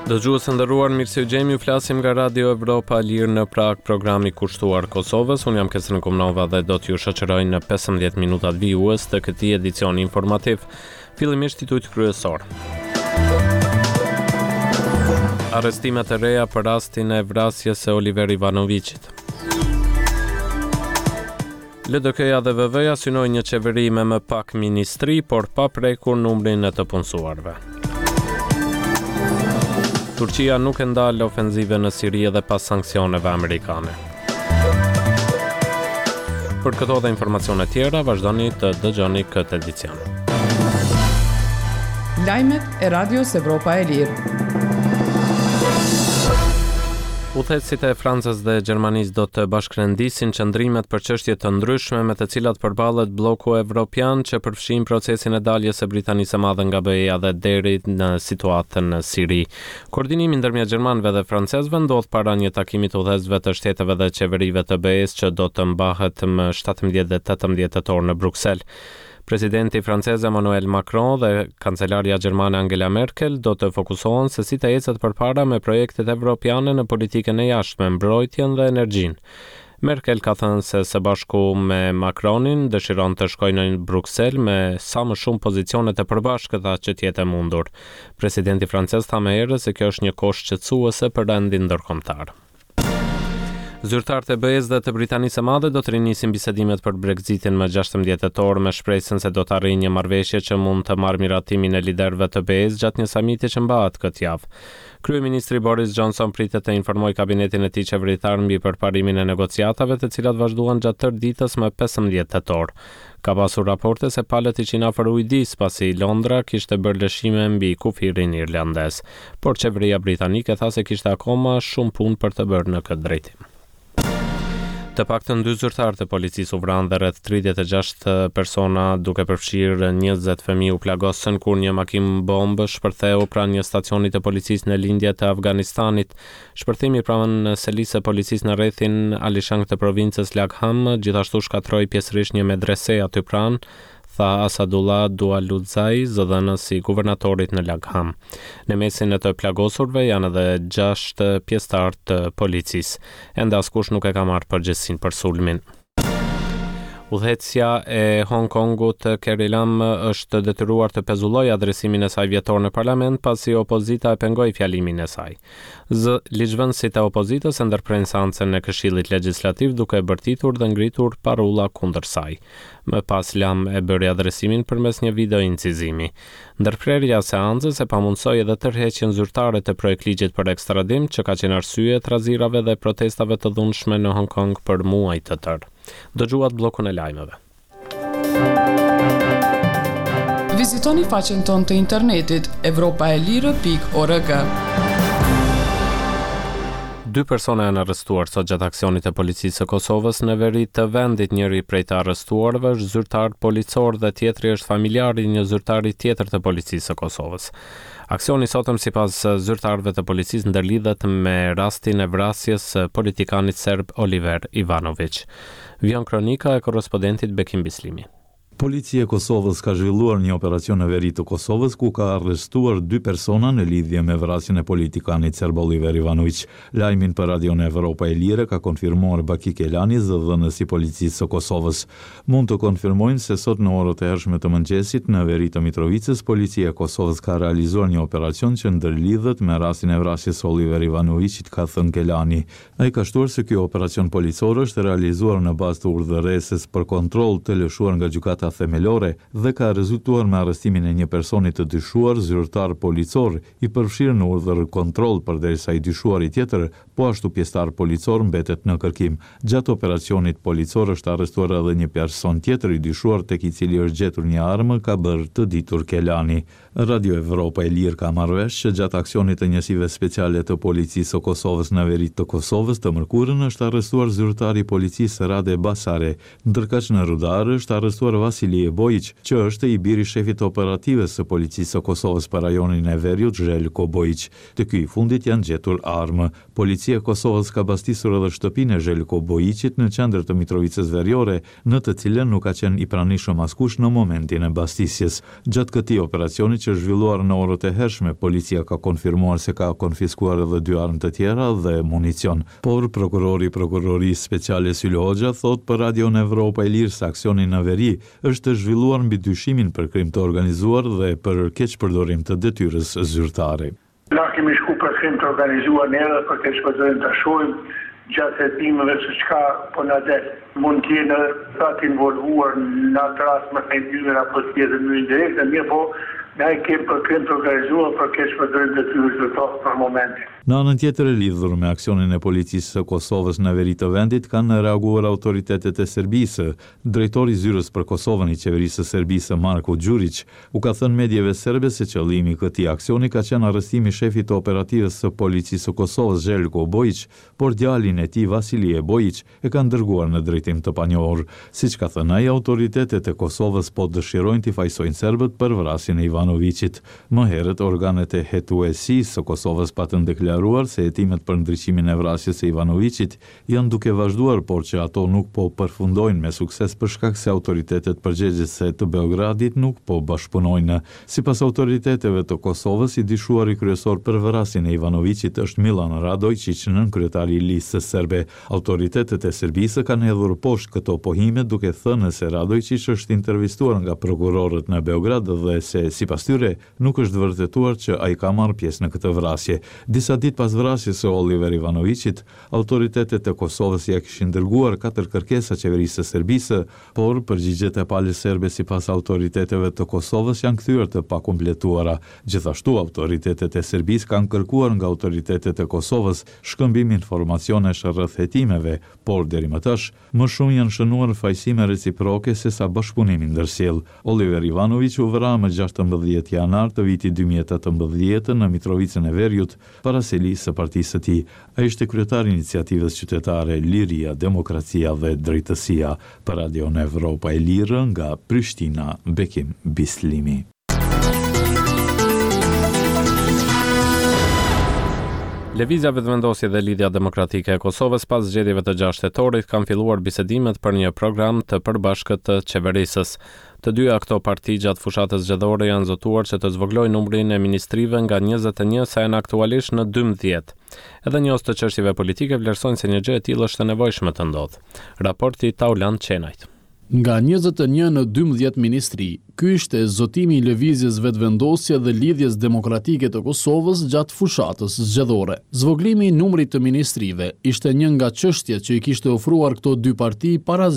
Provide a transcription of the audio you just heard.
Dëgjues të nderuar, mirë se ju gjejmë, ju flasim nga Radio Evropa e Lirë në Pragë, programi kushtuar Kosovës. Unë jam Kesrin Kumnova dhe do t'ju shoqëroj në 15 minutat vijues të këtij edicioni informativ. Fillimisht titujt kryesorë. Arrestime të reja për rastin e vrasjes së Oliver Ivanoviqit. LDK-ja dhe VV-ja synojnë një qeveri me më pak ministri, por pa prekur numrin e të punësuarve. Turqia nuk e ndal ofenzivën në Siri edhe pas sanksioneve amerikane. Për këto dhe informacione tjera, vazhdoni të dëgjoni këtë edicion. Lajmet e Radios Evropa e Lirë. Udhëheqësit e Francës dhe Gjermanisë do të bashkërendisin qëndrimet për çështje të ndryshme me të cilat përballet blloku evropian që përfshin procesin e daljes së Britanisë së Madhe nga BE-ja dhe deri në situatën në Siri. Koordinimi ndërmjet gjermanëve dhe francezëve ndodh para një takimi të udhëheqësve të shteteve dhe qeverive të BE-së që do të mbahet më 17 dhe 18 tetor në Bruksel. Presidenti francez Emmanuel Macron dhe kancelarja gjermane Angela Merkel do të fokusohen se si të ecet përpara me projektet evropiane në politikën e jashtme, mbrojtjen dhe energjinë. Merkel ka thënë se së bashku me Macronin dëshiron të shkojë në Bruksel me sa më shumë pozicione të përbashkëta që të jetë e mundur. Presidenti francez tha më herët se kjo është një kohë shqetësuese për rendin ndërkombëtar. Zyrtarët e BE-së dhe të Britanisë së Madhe do të rinisin bisedimet për Brexitin më 16 tetor me shpresën se do të arrijnë një marrëveshje që mund të marrë miratimin e liderëve të BE-së gjatë një samiti që mbahet këtë javë. Kryeministri Boris Johnson pritet të informojë kabinetin e tij qeveritar mbi përparimin e negociatave, të cilat vazhduan gjatë tërë ditës më 15 tetor. Ka pasur raporte se palët ishin afër ujdisë, pasi Londra kishte bërë lëshime mbi kufirin irlandez. Por qeveria britanike tha se kishte akoma shumë punë për të bërë në këtë drejtim. Të paktën dy zyrtarë të policisë u vranë dhe rreth 36 persona, duke përfshirë 20 fëmijë u plagosën kur një makinë bombë shpërtheu pranë një stacioni të policisë në lindje të Afganistanit. Shpërthimi pranë selisë së policisë në rrethin Alishang të provincës Lagham gjithashtu shkatërroi pjesërisht një medrese aty pranë, tha Asadullah Dualutzai, zëdhënës i guvernatorit në Lagham. Në mesin e të plagosurve janë edhe gjashtë pjesëtarë të policisë. Ende askush nuk e ka marrë përgjegjësinë për sulmin. Udhëheqësja e Hong Kongut, Carrie Lam, është detyruar të pezullojë adresimin e saj vjetor në parlament pasi opozita e pengoi fjalimin e saj. Zë, ligjvënësit e opozitës e ndërprenë seancën e Këshillit Legjislativ duke bërtitur dhe ngritur parulla kundër saj. Më pas Lam e bëri adresimin përmes një video-incizimi. Ndërprerja e seancës e pamundësoi edhe tërheqjen zyrtare të projektligjit për ekstradim, që ka qenë arsye e trazirave dhe protestave të dhunshme në Hong Kong për muaj të tërë. Dëgjuat bllokun e lajmeve. Vizitoni faqen tonë të internetit evropaelire.org. Dy persona janë arrestuar sot gjatë aksionit të policisë së Kosovës në veri të vendit. Njëri prej të arrestuarve është zyrtar policor dhe tjetri është familjar i një zyrtari tjetër të policisë së Kosovës. Aksioni i sotëm sipas zyrtarëve të policisë ndërlidhet me rastin e vrasjes së politikanit serb Oliver Ivanoviq. Vijon kronika e korrespondentit Bekim Bislimi. Policia e Kosovës ka zhvilluar një operacion në veri të Kosovës ku ka arrestuar dy persona në lidhje me vrasjen e politikanit serb Oliver Ivanoviq. Lajmin për Radion Evropa e Lirë ka konfirmuar Baki Kelani, zëdhënës i Policisë së Kosovës. Mund të konfirmojmë se sot në orët e hershme të mëngjesit në veri të Mitrovicës, Policia e Kosovës ka realizuar një operacion që ndërlidhet me rastin e vrasjes së Oliver Ivanoviqit, ka thënë Kelani. Ai ka shtuar se ky operacion policor është realizuar në bazë të urdhëresës për kontroll të lëshuar nga Gjykata Themelore dhe ka rezultuar me arrestimin e një personi të dyshuar zyrtar policor i përfshirë në urdhër-kontroll përderisa i dyshuari tjetër, po ashtu pjesëtar policor mbetet në kërkim. Gjatë operacionit policor është arrestuar edhe një person tjetër i dyshuar tek i cili është gjetur një armë, ka bërë të ditur Kelani. Radio Evropa e Lirë ka marrë vesh që gjatë aksionit të njësive speciale të Policisë së Kosovës në veri të Kosovës, të mërkurën është arrestuar zyrtari i policisë Rade Basare, ndërkaq në Rudar është arrestuar Vasil. Vasilije Bojiq, që është i biri i shefit të operativës së Policisë së Kosovës për rajonin e veriut, Zhelko Bojiq. Te ky i fundit janë gjetur armë. Policia e Kosovës ka bastisur edhe shtëpinë e Zhelko Bojiqit në qendër të Mitrovicës Veriore, në të cilën nuk ka qenë i pranishëm askush në momentin e bastisjes. Gjatë këtij operacioni që është zhvilluar në orët e hershme, policia ka konfirmuar se ka konfiskuar edhe dy armë të tjera dhe municion. Por, prokurori i Prokurorisë Speciale Sylë Hoxha thotë për Radion Evropa e Lirë se aksioni në veri është zhvilluar mbi dyshimin për krim të organizuar dhe për keqpërdorim të detyrës zyrtare. Na kemi shku për krim të organizuar ne edhe për keqpërdorim ta shohim gjatë hetimeve se çka po na del. Mund të jenë edhe ata të involvuar në atë rast me thënë hyrjen apo të tjetër në mënyrë indirekte, mirëpo na e kemi për krim të organizuar për keqpërdorim të detyrës zyrtare për momentin. Në anën tjetër, lidhur me aksionin e Policisë së Kosovës në veri të vendit kanë reaguar autoritetet e Serbisë. Drejtori i Zyrës për Kosovën i Qeverisë së Serbisë, Marko Gjuriq, u ka thënë medieve serbe se qëllimi i këtij aksioni ka qenë arrestimi i shefit të operativës së Policisë së Kosovës, Zhelko Bojiq, por djalin e tij, Vasilije Bojiq, e kanë dërguar në drejtim të panjohur. Siç ka thënë ai, autoritetet e Kosovës po dëshirojnë t'i fajësojnë serbët për vrasjen e Ivanoviqit. Më herët, organet e hetuesisë së Kosovës patën deklaruar se hetimet për ndriçimin e vrasjes së Ivanoviqit janë duke vazhduar, por që ato nuk po përfundojnë me sukses për shkak se autoritetet përgjegjëse të Beogradit nuk po bashkëpunojnë. Sipas autoriteteve të Kosovës, i dyshuari kryesor për vrasjen e Ivanoviqit është Millan Radojçiq, nënkryetari i Listës Serbe. Autoritetet e Serbisë kanë hedhur poshtë këto pohime duke thënë se Radojçiq është intervistuar nga prokurorët në Beograd dhe se, sipas tyre, Nuk është vërtetuar që ai ka marrë pjesë në këtë vrasje. Disa ditë pas vrasjes së Oliver Ivanoviqit, autoritetet e Kosovës ia kishin dërguar katër kërkesa qeverisë së Serbisë, por përgjigjet e palës serbe sipas autoriteteve të Kosovës janë kthyer të pakompletuara. Gjithashtu, autoritetet e Serbisë kanë kërkuar nga autoritetet e Kosovës shkëmbim informacionesh rreth hetimeve, por deri më tash, Më shumë janë shënuar fajësime reciproke sesa bashkëpunim i ndërsjellë. Oliver Ivanoviq u vra më 16 janar të vitit 2018 në Mitrovicën e Veriut, para selisë së partisë së tij. Ai ishte kryetar i iniciativës qytetare Liria, Demokracia dhe Drejtësia. Për Radion Evropa e Lirë nga Prishtina, Bekim Bislimi. Lëvizja Vetëvendosje dhe Lidhja Demokratike e Kosovës pas zgjedhjeve të 6 tetorit kanë filluar bisedimet për një program të përbashkët të qeverisjes. Të dyja këto parti gjatë fushatës zgjedhore janë zotuar që të zvogëlojnë numrin e ministrive nga 21 sa janë aktualisht në 12. Edhe njohës të çështjeve politike vlerësojnë se një gjë e tillë është e nevojshme të ndodhë. Raporti i Taulant Qenajt. Nga 21 në 12 ministri, ky ishte zotimi i Lëvizjes Vetëvendosje dhe Lidhjes Demokratike të Kosovës gjatë fushatës zgjedhore. Zvogëlimi i numrit të ministrive ishte një nga çështjet që i kishte ofruar këto dy parti para.